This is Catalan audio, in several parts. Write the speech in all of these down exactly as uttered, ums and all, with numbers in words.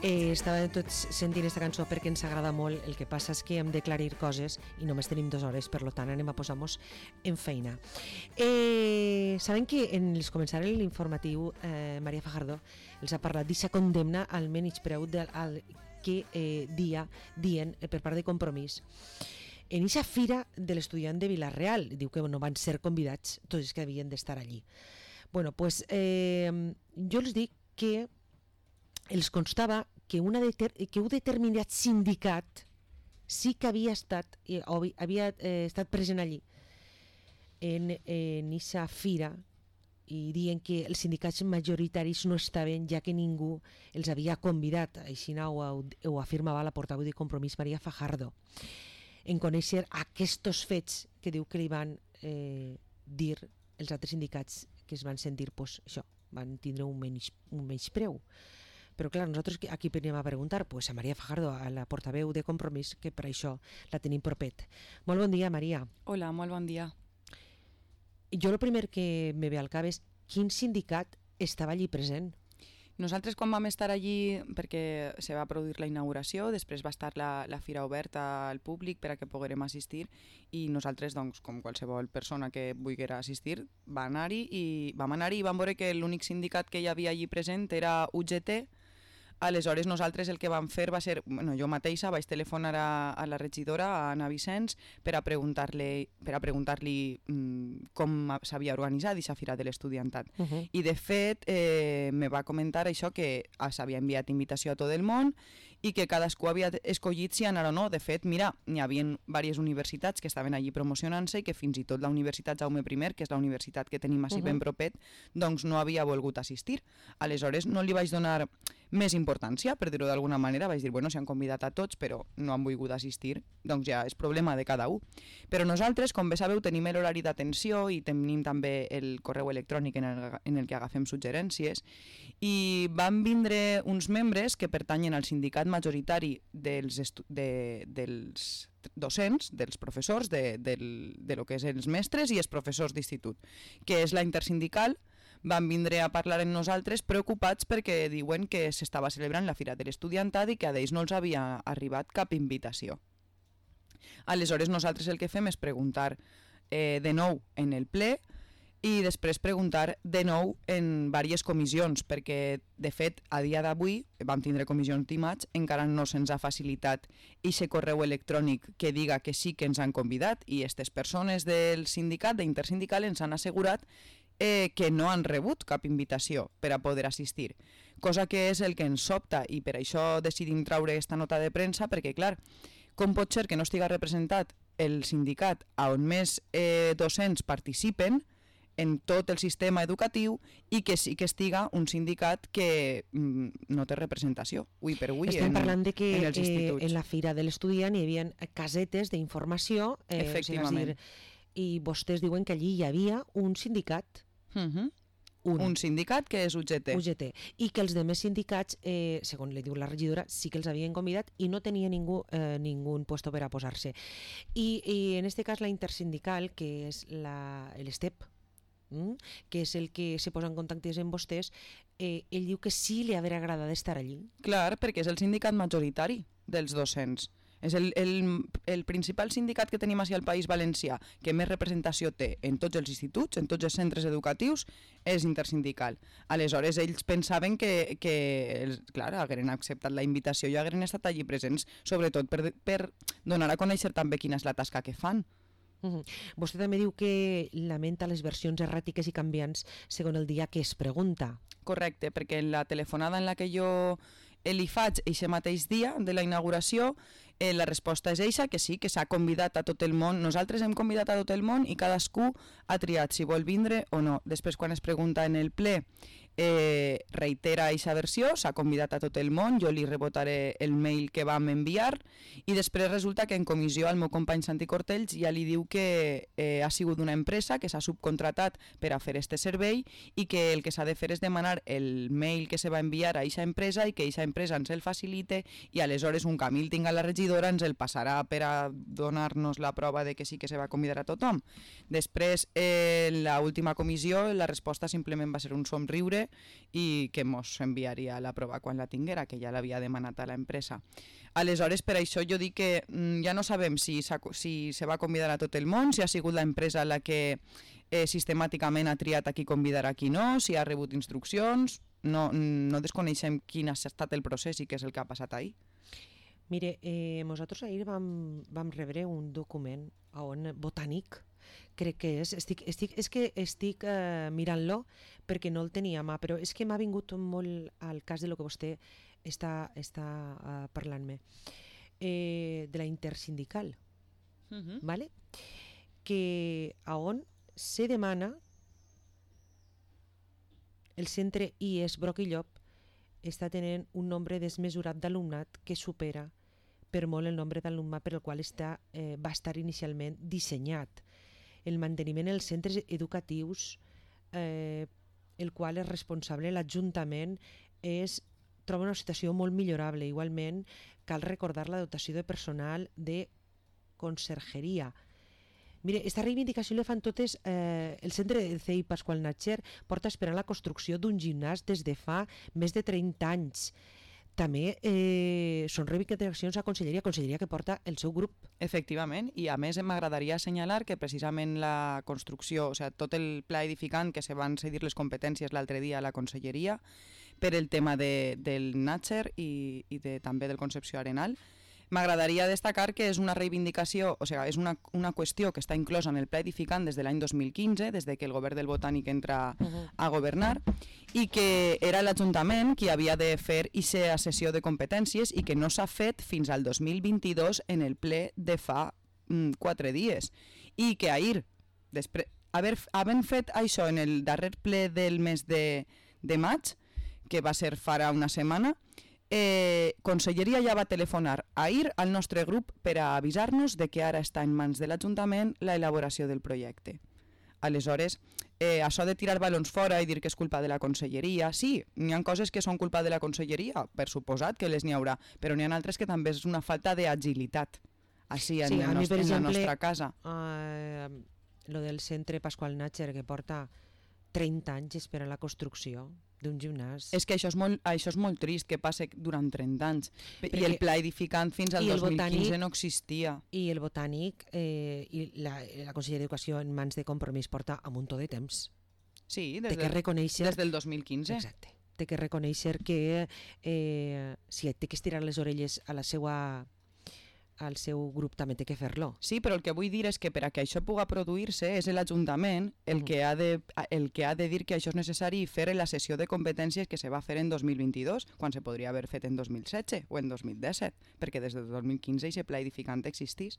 Eh, estava tots sentint aquesta cançó perquè ens agrada molt. El que passa és que hem d'aclarir coses i només tenim dues hores, per tant anem a posar-nos en feina. Eh, saben que en els començar l'informatiu eh, Maria Fajardo els ha parlat d'aquesta condemna al menyspreu del al que eh, dia dient eh, per part de Compromís. En aquesta fira de l'estudiant de Vila-real, diu que no van ser convidats tots els que havien d'estar allí. Bueno, pues, eh, jo els dic que els constava que, una deter que un determinat sindicat sí que havia estat, eh, havia eh, estat present allí en aquesta fira i dient que els sindicats majoritaris no estaven ja que ningú els havia convidat. Així ho, ho afirmava la portaveu de Compromís Maria Fajardo en conèixer aquests fets que diu que li van eh, dir els altres sindicats que es van sentir, pues, això, van tindre un menys, un menyspreu. Però clar, nosaltres aquí venim a preguntar pues, a Maria Fajardo, a la portaveu de Compromís, que per això la tenim propet. Molt bon dia, Maria. Hola, molt bon dia. Jo el primer que me ve al cap és quin sindicat estava allí present? Nosaltres quan vam estar allí, perquè se va produir la inauguració, després va estar la, la fira oberta al públic per a que poguérem assistir i nosaltres, doncs, com qualsevol persona que volguera assistir, va anar-hi i vam anar-hi i vam veure que l'únic sindicat que hi havia allí present era U G T. Aleshores nosaltres el que vam fer va ser, bueno, jo mateixa vaig telefonar a, a la regidora, a Anna Vicenç, per a preguntar-li per a preguntar-li mmm, com s'havia organitzat aquesta fira de l'estudiantat. Uh -huh. I de fet eh, me va comentar això que s'havia enviat invitació a tot el món i que cadascú havia escollit si anar o no. De fet, mira, n'hi havia diverses universitats que estaven allí promocionant-se i que fins i tot la Universitat Jaume I, que és la universitat que tenim així uh -huh. ben propet, doncs no havia volgut assistir. Aleshores no li vaig donar més importància, per dir-ho d'alguna manera. Vaig dir, bueno, s'han convidat a tots, però no han volgut assistir, doncs ja és problema de cada un. Però nosaltres, com bé sabeu, tenim l'horari d'atenció i tenim també el correu electrònic en el, en el que agafem suggerències, i van vindre uns membres que pertanyen al sindicat majoritari dels, de, dels docents, dels professors, de, del, de lo que és els mestres i els professors d'institut, que és la intersindical. Van vindre a parlar amb nosaltres preocupats perquè diuen que s'estava celebrant la Fira de l'Estudiantat i que a ells no els havia arribat cap invitació. Aleshores nosaltres el que fem és preguntar eh, de nou en el ple i després preguntar de nou en diverses comissions, perquè de fet a dia d'avui vam tindre comissions dimarts, encara no se'ns ha facilitat aquest correu electrònic que diga que sí que ens han convidat i aquestes persones del sindicat, d'intersindical, ens han assegurat Eh, que no han rebut cap invitació per a poder assistir, cosa que és el que ens sobta i per això decidim traure aquesta nota de premsa, perquè clar, com pot ser que no estiga representat el sindicat on més eh, docents participen en tot el sistema educatiu i que sí que estiga un sindicat que mm, no té representació ui per ui. Estem en, parlant de que en, els eh, en la Fira de l'Estudiant hi havia casetes d'informació eh, efectivament, o sigui, i vostès diuen que allí hi havia un sindicat. Uh-huh. un. un sindicat que és U G T. U G T. I que els demés sindicats, eh, segons li diu la regidora, sí que els havien convidat i no tenia ningú, eh, ningú puesto per a posar-se. I, I en este cas la intersindical, que és l'ESTEP, mm, que és el que se posa en contacte amb vostès, eh, ell diu que sí li hauria agradat estar allí. Clar, perquè és el sindicat majoritari dels docents. És el, el, el principal sindicat que tenim al País Valencià que més representació té en tots els instituts, en tots els centres educatius, és intersindical. Aleshores, ells pensaven que, que clar, hagueren acceptat la invitació i hagueren estat allí presents, sobretot per, per donar a conèixer també quina és la tasca que fan. Uh-huh. Vostè també diu que lamenta les versions erràtiques i canviants segons el dia que es pregunta. Correcte, perquè en la telefonada en la que jo li faig aquest mateix dia de la inauguració, eh, la resposta és eixa, que sí, que s'ha convidat a tot el món. Nosaltres hem convidat a tot el món i cadascú ha triat si vol vindre o no. Després, quan es pregunta en el ple eh, reitera aquesta versió, s'ha convidat a tot el món, jo li rebotaré el mail que vam enviar i després resulta que en comissió el meu company Santi Cortells ja li diu que eh, ha sigut una empresa que s'ha subcontratat per a fer este servei i que el que s'ha de fer és demanar el mail que se va enviar a aquesta empresa i que aquesta empresa ens el facilite i aleshores un camí el tinga la regidora ens el passarà per a donar-nos la prova de que sí que se va convidar a tothom. Després, eh, en l'última comissió, la resposta simplement va ser un somriure i que mos enviaria la prova quan la tinguera, que ja l'havia demanat a l'empresa. Aleshores, per això jo dic que mm, ja no sabem si, si se va convidar a tot el món, si ha sigut l'empresa la que eh, sistemàticament ha triat a qui convidar a qui no, si ha rebut instruccions, no, no desconeixem quin ha estat el procés i què és el que ha passat ahir. Mire, eh, nosaltres ahir vam, vam rebre un document on botànic, crec que és, estic, estic, és que estic eh, mirant-lo perquè no el tenia a mà, però és que m'ha vingut molt al cas de lo que vostè està, està uh, parlant-me, eh, de la intersindical, uh-huh. ¿Vale? Que a on se demana el centre I E S Broc i Llop està tenint un nombre desmesurat d'alumnat que supera per molt el nombre d'alumnat per el qual està, eh, va estar inicialment dissenyat. El manteniment dels centres educatius, eh, el qual és responsable l'Ajuntament, és, troba una situació molt millorable. Igualment, cal recordar la dotació de personal de consergeria. Mire, aquesta reivindicació la fan totes, eh, el centre de C I Pasqual Natxer porta esperant la construcció d'un gimnàs des de fa més de trenta anys. També eh, són reivindicacions a Conselleria, Conselleria que porta el seu grup. Efectivament, i a més m'agradaria assenyalar que precisament la construcció, o sigui, tot el pla edificant que se van cedir les competències l'altre dia a la Conselleria per el tema de, del Natxer i, i de, també del Concepció Arenal, m'agradaria destacar que és una reivindicació, o sigui, és una, una qüestió que està inclosa en el pla edificant des de l'any dos mil quinze, des de que el govern del Botànic entra uh-huh. a governar, i que era l'Ajuntament qui havia de fer aquesta sessió de competències i que no s'ha fet fins al dos mil vint-i-dos en el ple de fa mm, quatre dies. I que ahir, després, haver, havent fet això en el darrer ple del mes de, de maig, que va ser farà una setmana, Eh, Conselleria ja va telefonar ahir al nostre grup per a avisar-nos de que ara està en mans de l'Ajuntament la elaboració del projecte. Aleshores, eh, això de tirar balons fora i dir que és culpa de la Conselleria, sí, n'hi ha coses que són culpa de la Conselleria, per suposat que les n'hi haurà, però n'hi ha altres que també és una falta d'agilitat així en, sí, el nostre, mi, en exemple, la nostra casa. Uh, lo del centre Pasqual Natxer, que porta trenta anys esperant la construcció d'un gimnàs. És que això és, molt, això és molt trist que passe durant trenta anys. Perquè, I el pla edificant fins al dos mil quinze botànic, no existia. I el Botànic eh, i la, la Conselleria d'Educació en mans de Compromís porta a un muntó de temps. Sí, des, de que del, reconèixer, des del dos mil quinze. Exacte. Té que reconèixer que eh, si té que estirar les orelles a la seva al seu grup també té que fer-lo. Sí, però el que vull dir és que per a que això pugui produir-se és l'Ajuntament el, que ha de, el que ha de dir que això és necessari i fer la sessió de competències que se va fer en dos mil vint-i-dos, quan se podria haver fet en dos mil setze o en dos mil disset, perquè des del dos mil quinze aquest pla edificant existís.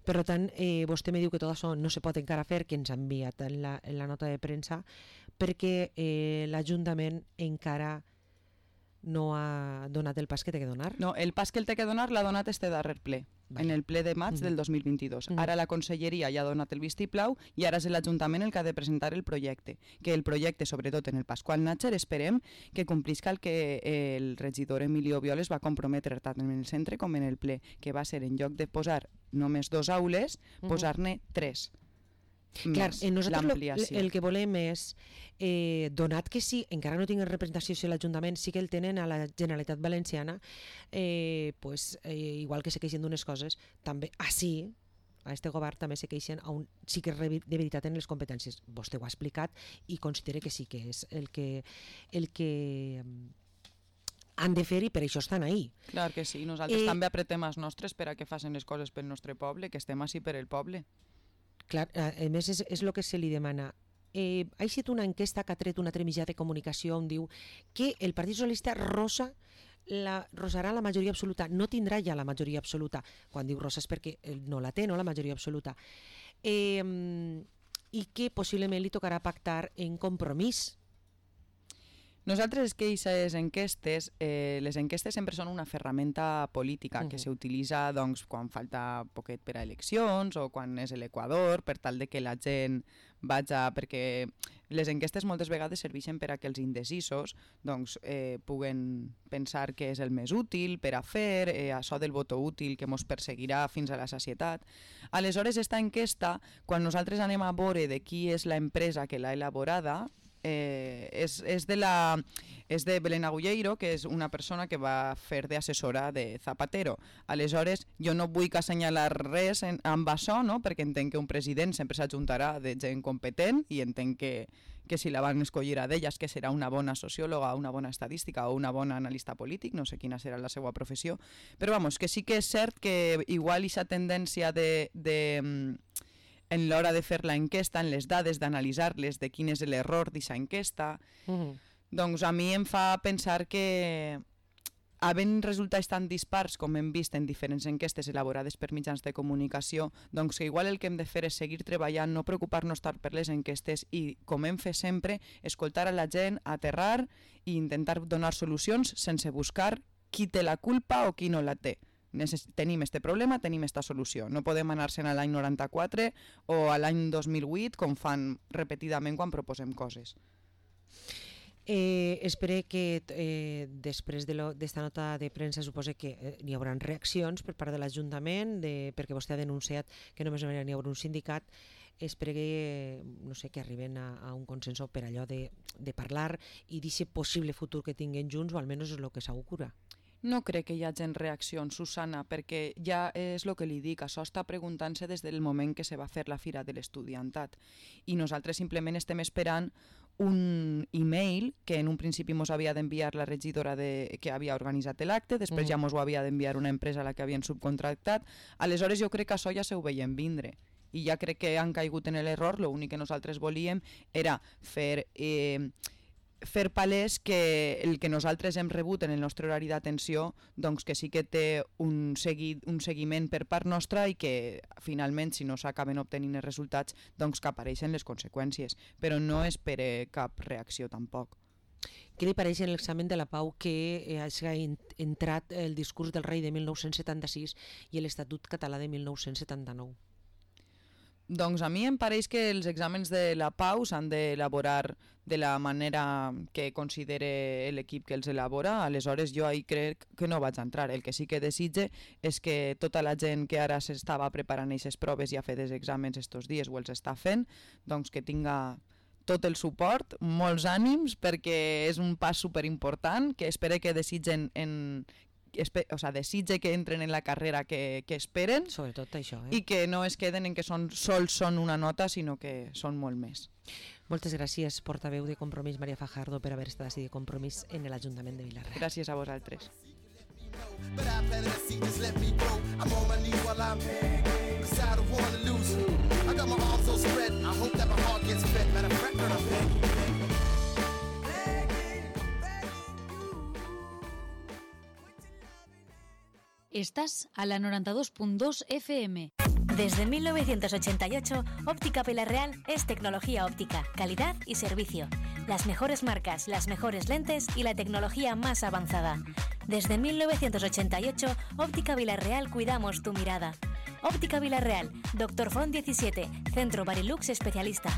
Per tant, eh, vostè me diu que tot això no se pot encara fer, que ens ha enviat en la, en la nota de premsa, perquè eh, l'Ajuntament encara no ha donat el pas que té que donar? No, el pas que el té que donar l'ha donat este darrer ple, vale. En el ple de maig mm. del dos mil vint-i-dos. Mm. Ara la Conselleria ja ha donat el vistiplau i ara és l'Ajuntament el que ha de presentar el projecte. Que el projecte, sobretot en el Pasqual Natxer, esperem que complisca el que el regidor Emilio Violes va comprometre tant en el centre com en el ple, que va ser en lloc de posar només dos aules, mm. posar-ne tres. Clar, nosaltres lo, el que volem és, eh, donat que sí, encara no tinguin representació si l'Ajuntament sí que el tenen a la Generalitat Valenciana, eh, pues, eh, igual que se queixen d'unes coses, també així, a este govern també se queixen on sí que de veritat en les competències. Vostè ho ha explicat i considera que sí que és el que, el que han de fer i per això estan ahí. Clar que sí, nosaltres eh, també apretem els nostres per a que facin les coses pel nostre poble, que estem així per el poble. Clar, a més és, és el que se li demana. Eh, ha estat una enquesta que ha tret un altre mitjà de comunicació on diu que el Partit Socialista rosa la, rosarà la majoria absoluta, no tindrà ja la majoria absoluta. Quan diu rosa és perquè no la té, no la majoria absoluta. Eh, I que possiblement li tocarà pactar en Compromís. Nosaltres és que aquestes enquestes, eh, les enquestes sempre són una ferramenta política uh-huh. que s'utilitza doncs, quan falta poquet per a eleccions o quan és l'Equador, per tal de que la gent vaja... Perquè les enquestes moltes vegades serveixen per a que els indecisos doncs, eh, puguen pensar que és el més útil per a fer, eh, això del voto útil que ens perseguirà fins a la sacietat. Aleshores, esta enquesta, quan nosaltres anem a veure de qui és l'empresa que l'ha elaborada, Eh, és, és, de la, és de Belén Agulleiro, que és una persona que va fer d'assessora de Zapatero. Aleshores, jo no vull assenyalar res en, amb això, no? Perquè entenc que un president sempre s'ajuntarà de gent competent i entenc que, que si la van escollir a d'elles, que serà una bona sociòloga, una bona estadística o una bona analista polític, no sé quina serà la seva professió, però vamos, que sí que és cert que igual aquesta tendència de... de en l'hora de fer la enquesta, en les dades, d'analitzar-les, de quin és l'error d'aquesta enquesta, uh-huh. doncs a mi em fa pensar que havent resultats tan dispars com hem vist en diferents enquestes elaborades per mitjans de comunicació, doncs que igual el que hem de fer és seguir treballant, no preocupar-nos tant per les enquestes i, com hem fet sempre, escoltar a la gent, aterrar i intentar donar solucions sense buscar qui té la culpa o qui no la té. Necess- tenim este problema, tenim esta solució. No podem anar-se'n a l'any noranta-quatre o a l'any dos mil vuit, com fan repetidament quan proposem coses. Eh, espero que eh, després d'esta de nota de premsa supose que eh, n'hi haurà reaccions per part de l'Ajuntament, de, perquè vostè ha denunciat que només n'hi haurà un sindicat. Espero que, no sé, que arriben a, a un consens per allò de, de parlar i d'aquest possible futur que tinguin junts, o almenys és el que s'augura. No crec que hi hagi reaccions, Susana, perquè ja és el que li dic, això està preguntant-se des del moment que se va fer la Fira de l'Estudiantat i nosaltres simplement estem esperant un e-mail que en un principi ens havia d'enviar la regidora de, que havia organitzat l'acte, després mm. ja ens ho havia d'enviar una empresa a la que havien subcontractat. Aleshores jo crec que això ja se ho veiem vindre i ja crec que han caigut en l'error. L'únic que nosaltres volíem era fer... Eh, fer palès que el que nosaltres hem rebut en el nostre horari d'atenció doncs que sí que té un, segui, un seguiment per part nostra i que finalment si no s'acaben obtenint els resultats doncs que apareixen les conseqüències, però no espere cap reacció tampoc. Què li pareix en l'examen de la Pau que hagi entrat el discurs del rei de mil nou-cents setanta-sis i l'Estatut català de mil nou-cents setanta-nou? Doncs a mi em pareix que els exàmens de la Pau s'han d'elaborar de la manera que considere l'equip que els elabora, aleshores jo ahir crec que no vaig entrar. El que sí que desitge és que tota la gent que ara s'estava preparant aquestes proves i ha fet els exàmens estos dies o els està fent, doncs que tinga tot el suport, molts ànims, perquè és un pas superimportant, que espero que desitgen en... o sea, desitge que entren en la carrera que, que esperen, sobretot això, eh? I que no es queden en que són, sols són una nota, sinó que són molt més. Moltes gràcies, portaveu de Compromís, Maria Fajardo, per haver estat així de Compromís en l'Ajuntament de Vila-real. Gràcies a vosaltres. Estás a la noventa y dos punto dos F M. Desde mil novecientos ochenta y ocho, Óptica Vila-real es tecnología óptica, calidad y servicio. Las mejores marcas, las mejores lentes y la tecnología más avanzada. Desde mil novecientos ochenta y ocho, Óptica Vila-real cuidamos tu mirada. Óptica Vila-real, Doctor Font diecisiete, Centro Barilux especialista.